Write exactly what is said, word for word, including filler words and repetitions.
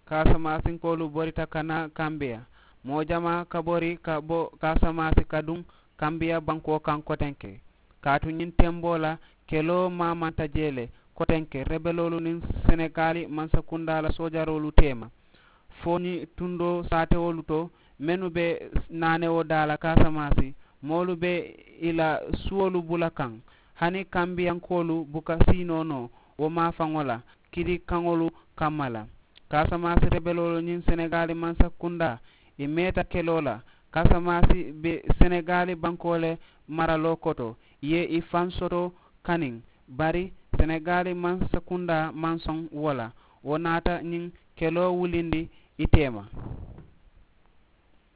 Kaasamaasinkoolu borita ka naa kambiya. Moo jamaa ka bori ka bo kaasamaasin ka duŋ kambiya bankoo kaŋ kotenke. Kaatu ñiŋ temboo la keloo maamanta jee le kotenke rebeloolu niŋ senegaali mansakundaa la soojaroolu teema fo ñiŋ tundoo saatewolu to mennu be naanewo daa la kaasamaasi moolu be i la suwolu bula kaŋ. Hani kambiyankoolu buka siinoo noo wo maafaŋo la kili kaŋolu kamma la. Kaasamaasi rebeloolu ñiŋ senegaali mansakundaa i meeta keloo la. Kaasamaasi be senegaali bankoo le maraloo koto i ye i faŋ soto kaniŋ. Bari senegaali mansakundaa maŋ soŋ wo la. Wo naata ñiŋ keloo wulindi i teema.